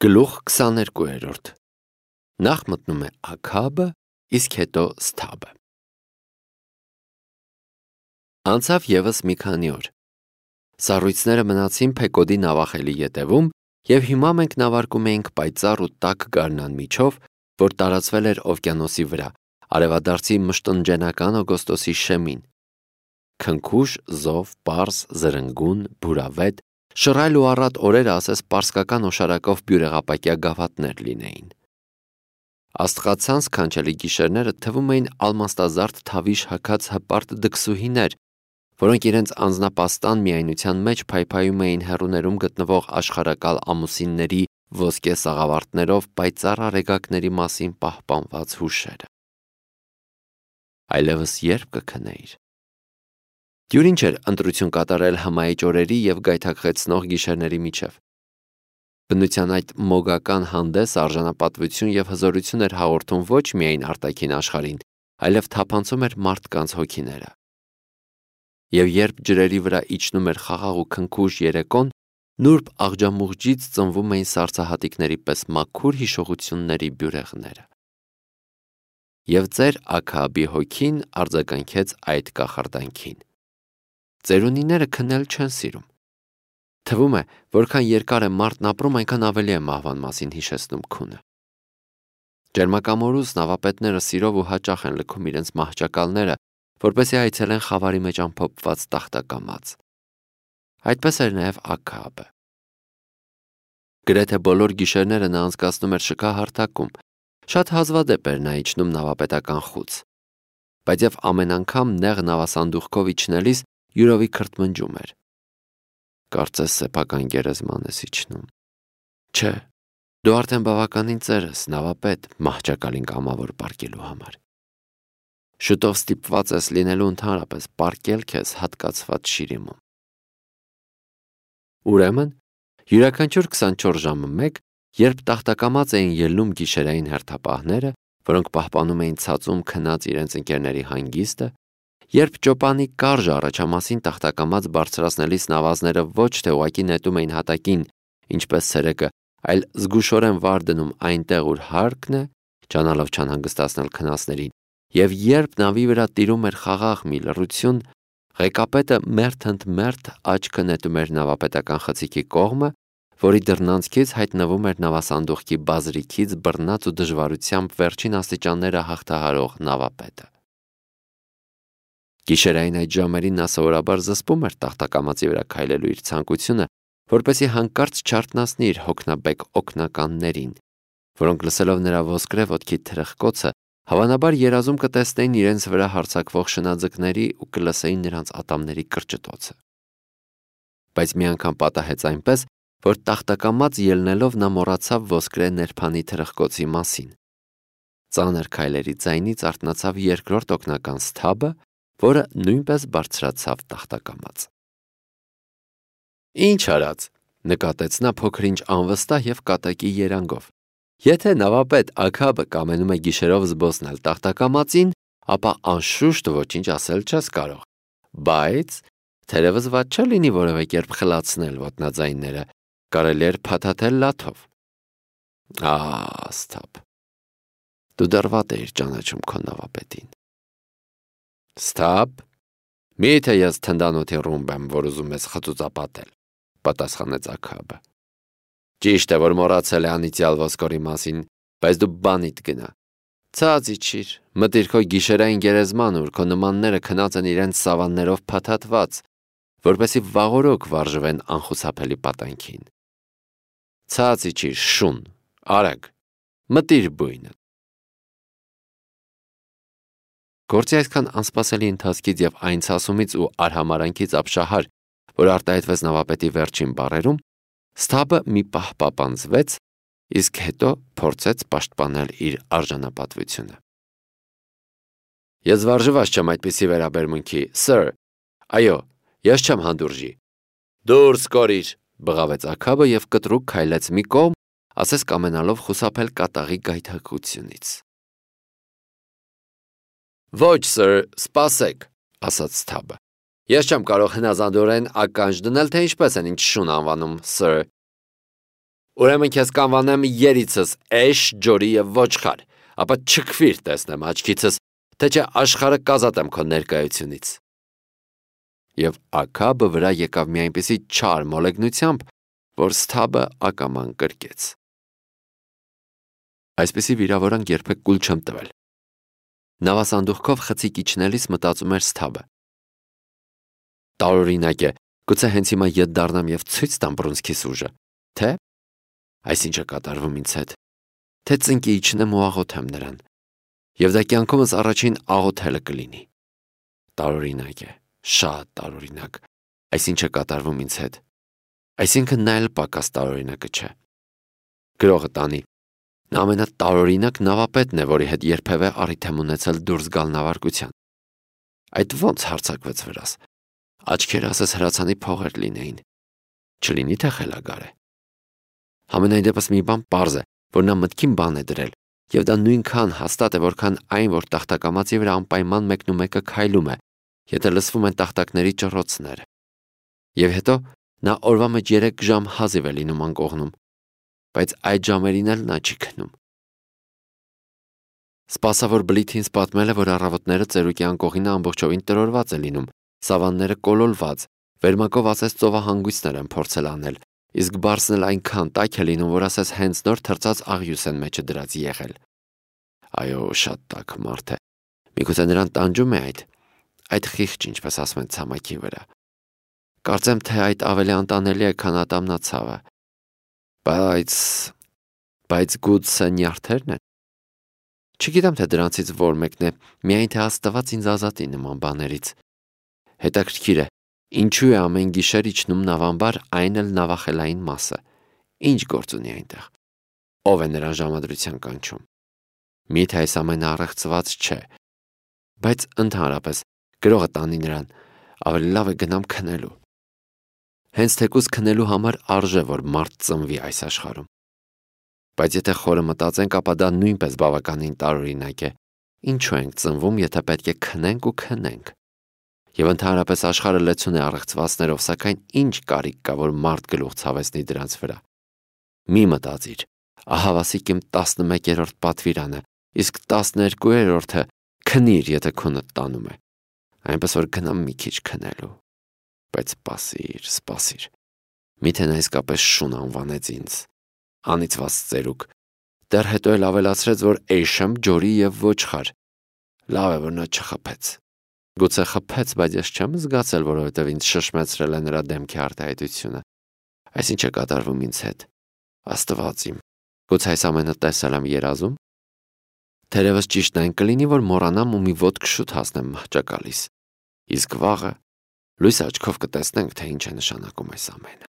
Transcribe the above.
Գլուխ 22 Նախ մտնում է Աքաբը, իսկ հետո Սթաբը։ Անցավ ևս մի քանի օր։ Սառույցները մնացին Փեկոդի նավախելի ետևում, եւ հիմա մենք նավարկում էինք պայծառ ու տաք գարնան միջով, որ տարածվել էր օվկիանոսի վրա, արևադարձի մշտնջենական օգոստոսի շեմին։ Քնքուշ, զով, պարզ, զրնգուն, բուրավետ, շռայլ ու առատ օրերը ասես պարսկական օշարակով բյուրեղապակյա գավաթներ լինեին։ Աստղացանց քանչելի գիշերները թվում էին ալմաստազարդ թավիշ հագած հպարտ դքսուհիներ, որոնք իրենց անձնապաստան միայնության մեջ փայփայում էին հեռուներում գտնվող աշխարհակալ ամուսինների ոսկե սաղավարտներով պայծառ արեգակների մասին պահպանված հուշերը։ Այլևս երբ կքնեիր։ Դյուրին չէր ընտրություն կատարել հմայիչ օրերի եւ գայթակղեցնող գիշերների միջև։ Բնության այդ մոգական հանդես արժանապատվություն եւ հզորություն էր հաղորդում ոչ միայն արտաքին աշխարհին, այլև թափանցում էր մարդկանց հոգիները։ Եվ երբ ջրերի վրա իջնում էր խաղաղ ու քնքուշ երեկոն, նուրբ աղջամուղջից ծնվում էին սառցահատիկների պես մաքուր հիշողությունների բյուրեղները։ Եվ ծեր Աքաբի հոգին արձագանքեց այդ կախարդանքին։ Ծերունիները քնել չեն սիրում։ Թվում է, որքան երկար է մարդն ապրում, այնքան ավելի է մահվան մասին հիշեցնում քունը։ Ջերմակամորուս նավապետները սիրով ու հաճախ են լքում իրենց մահճակալները, որպեսզի այցելեն խավարի մեջ ամփոփված տախտակամած։ Այդպես էր նաև Աքաբը։ Գրեթե բոլոր գիշերները նա անցկացնում էր շքահարթակում, շատ հազվադեպ էր նա իջնում նավապետական խուց, բայց եւ ամեն անգամ նեղ նավասանդուղքով իջնելիս յուրովի քրթմնջում էր։ Կարծես սեփական գերեզման ես իջնում։ Չէ, դու արդեն բավականին ծեր ես, նավապետ, մահճակալին կամավոր պարկելու համար։ Շուտով ստիպված ես լինելու ընդհանրապես պարկել քեզ հատկացված շիրիմում։ Ուրեմն, յուրաքանչյուր 24 ժամը մեկ, երբ տախտակամած էին ելնում գիշերային հերթապահները, որոնք պահպանում էին ցածում քնած իրենց ընկերների հանգիստը, երբ ճոպանի կարժ առաջամասին տախտակամած բարձրացնելիս նավազները ոչ թե ուղակի նետում էին հատակին, ինչպես ցերեկը, այլ զգուշորեն վար դնում այնտեղ, ուր հարկն է, ճանալով չանհանգստացնել քնածներին, եւ երբ նավի վրա տիրում էր խաղաղ մի լռություն, ղեկապետը մերթ աչքը նետում էր նավապետական խցիկի կողմը, որի դռնանցքից հայտնվում էր նավասանդուղքի բազրիքից բռնած ու դժվարությամբ վերջին աստիճանները հաղթահարող նավապետը։ Գիշերային այդ ժամերին նա սովորաբար զսպում էր տախտակամածի վրա քայլելու իր ցանկությունը, որպեսզի հանկարծ չարթնացնի իր հոգնաբեկ օգնականներին, որոնք լսելով նրա ոսկրե ոտքի թրխկոցը, հավանաբար երազում կտեսնեին իրենց վրա հարձակվող շնաձկների ու կլսեին նրանց ատամների կրճտոցը։ Բայց մի անգամ պատահեց այնպես, որ տախտակամած ելնելով նա մոռացավ ոսկրե ներփանի թրխկոցի մասին։ Ծանր քայլերի ձայնից արթնացավ երկրորդ օգնական Սթաբը, որը նույնպես բարձրացավ տախտակամած։ Ինչ արած, նկատեց նա փոքր-ինչ անվստահ եւ կատակի երանգով։ Եթե նավապետ Աքաբը կամենում է գիշերով զբոսնել տախտակամածին, ապա անշուշտ ոչինչ ասել չես կարող։ Բայց թերևս ված չէ լինի որևէ կերպ խլացնել ոտնաձայնները, կարելի էր փաթաթել լաթով։ Սթաբ, դու դեռ վատ էիր ճանաչում քո նավապետին։ Սթաբ, միթե ես թնդանոթի ռումբ եմ, որ ուզում ես խծուծապատել, պատասխանեց Աքաբը։ Ճիշտ է, որ մոռացել է անիծյալ ոսկորի մասին, բայց դու բանիդ գնա։ Ցած իջիր, մտիր քո գիշերային գերեզման, ուր քո նմանները քնած են իրենց սավաններով փաթաթված, որպեսզի վաղօրոք վարժվեն անխուսափելի պատանքին։ Ցած իջիր, շուն, արագ, մտիր բույնը։ Գործի այսքան անսպասելի ընթացքից եւ այն ցասումից ու արհամարանքից ապշահար, որ արտահայտվեց նավապետի վերջին բառերում, Սթաբը մի պահ պապանձվեց, իսկ հետո փորձեց պաշտպանել իր արժանապատվությունը։ Ես վարժված չեմ այդպիսի վերաբերմունքի, սըր։ Այո, ես չեմ հանդուրժի։ Դուրս կորիր, բղավեց Աքաբը եւ կտրուկ քայլեց մի կողմ, ասես կամենալով խուսափել կատաղի գայթակղությունից։ Ոչ, սըր, սպասեք, ասաց Սթաբը։ Ես չեմ կարող հնազանդորեն ականջ դնել, թե ինչպես են ինձ շուն անվանում, սըր։ Ուրեմն քեզ կանվանեմ երիցս էշ, ջորի եւ ոչխար, ապա չքվիր տեսնեմ աչքիցս, թե չէ աշխարհը կազատեմ քո ներկայությունից։ Եվ Աքաբը վրա եկավ մի այնպիսի չար մոլեգնությամբ, որ Սթաբը ակաման կրկեց։ Այսպիսի վիրավորանք երբեք կուլ չեմ տվել։ Նավասանդուղքով խցիկ իջնելիս մտածում էր Սթաբը։ Տարօրինակ է, գուցե հենց հիմա ետ դառնամ եւ ցույց տամ բռունցքիս ուժը, թե այսինչ է կատարվում ինձ հետ, թե ծնկի իջնեմ ու աղոթեմ նրան, եւ դա կյանքումս առաջին աղոթելը կլինի։ Տարօրինակ է, շատ տարօրինակ, այսինչ է կատարվում ինձ հետ, այսինքն նա էլ պակաս տարօրինակը չէ։ Գրողը տանի, նա ամենատարօրինակ նավապետն է, որի հետ երբևէ առիթ եմ ունեցել դուրս գալ նավարկության։ Այդ ո՞նց հարձակվեց վրաս։ Աչքերը ասես հրացանի փողեր լինեին, չլինի թե խելագար է։ Համենայն դեպս մի բան պարզ է, որ նա մտքին բան է դրել, եւ դա նույնքան հաստատ է, որքան այն, որ տախտակամածի վրա անպայման մեկնումեկը քայլում է, եթե լսվում են տախտակների ճռոցները։ Եվ հետո նա օրվա մեջ 3 ժամ հազիվ է լինում անկողնում, բայց այդ ժամերին էլ նա չի քնում։ Սպասավոր բլիթին պատմել է, որ առավոտները ծերուկի անկողինը ամբողջովին տրորված է լինում, սավանները կոլոլված, վերմակով ասես ծովահանգույցներ են փորձել անել, իսկ բարձն էլ այնքան տաք է լինում, որ ասես հենց նոր թրծած աղյուս են մեջը դրած եղել։ Այո, շատ տաք մարդ է։ Միգուցե նրան տանջում է այդ խիղճ, ինչպես ասում են, ցամաքի վրա։ Կարծեմ, թե այդ ավելի անտանելի է, քան ատամնացավը։ Բայց գուցե նյարդերն են։ Չգիտեմ, թե դրանցից որ մեկն է, միայն թե Աստված ինձ ազատի նման բաներից։ Հետաքրքիր է, ինչու է ամեն գիշեր իջնում նավամբար, այն էլ նավախելային մասը։ Ինչ գործ ունի այնտեղ։ Ով է նրան ժամադրության կանչում։ Միթե այս ամենը առեղծված չէ։ Բայց ընդհանրապես գրողը տանի նրան, ավելի լավ է գնամ քնելու։ Հենց թեկուզ քնելու համար արժե, որ մարդ ծնվի այս աշխարհում։ Բայց եթե խորը մտածենք, ապա դա նույնպես բավականին տարօրինակ է։ Ինչու ենք ծնվում, եթե պետք է քնենք ու քնենք։ Եվ ընդհանրապես աշխարհը լեցուն է առեղծվածներով, սակայն ինչ կարիք կա, որ մարդ գլուխ ցավեցնի դրանց վրա։ Մի մտածիր, ահավասիկ իմ 11-րդ պատվիրանը, իսկ 12-րդը քնիր, եթե քունդ տանում է։ Այնպես որ գնամ մի քիչ քնելու։ Բայց սպասիր։ Միթե նա իսկապես շուն անվանեց ինձ։ Անիծված ծերուկ։ Դեռ հետո էլ ավելացրեց, որ էշեմ, ջորի եւ ոչխար։ Լավ է, որ նա չխփեց։ Գուցե խփեց, բայց ես չեմ զգացել, որովհետև ինձ շշմեցրել է նրա դեմքի արտահայտությունը։ Այսինչ է կատարվում ինձ հետ։ Աստված իմ, գուցե այս ամենը տեսել եմ երազում։ Թերևս ճիշտն այն կլինի, որ մոռանամ ու մի ոտք շուտ հասնեմ մահճակալիս։ Իսկ վաղը լույս աչքով կտեսնենք, թե ինչ է նշանակում այս ամենը։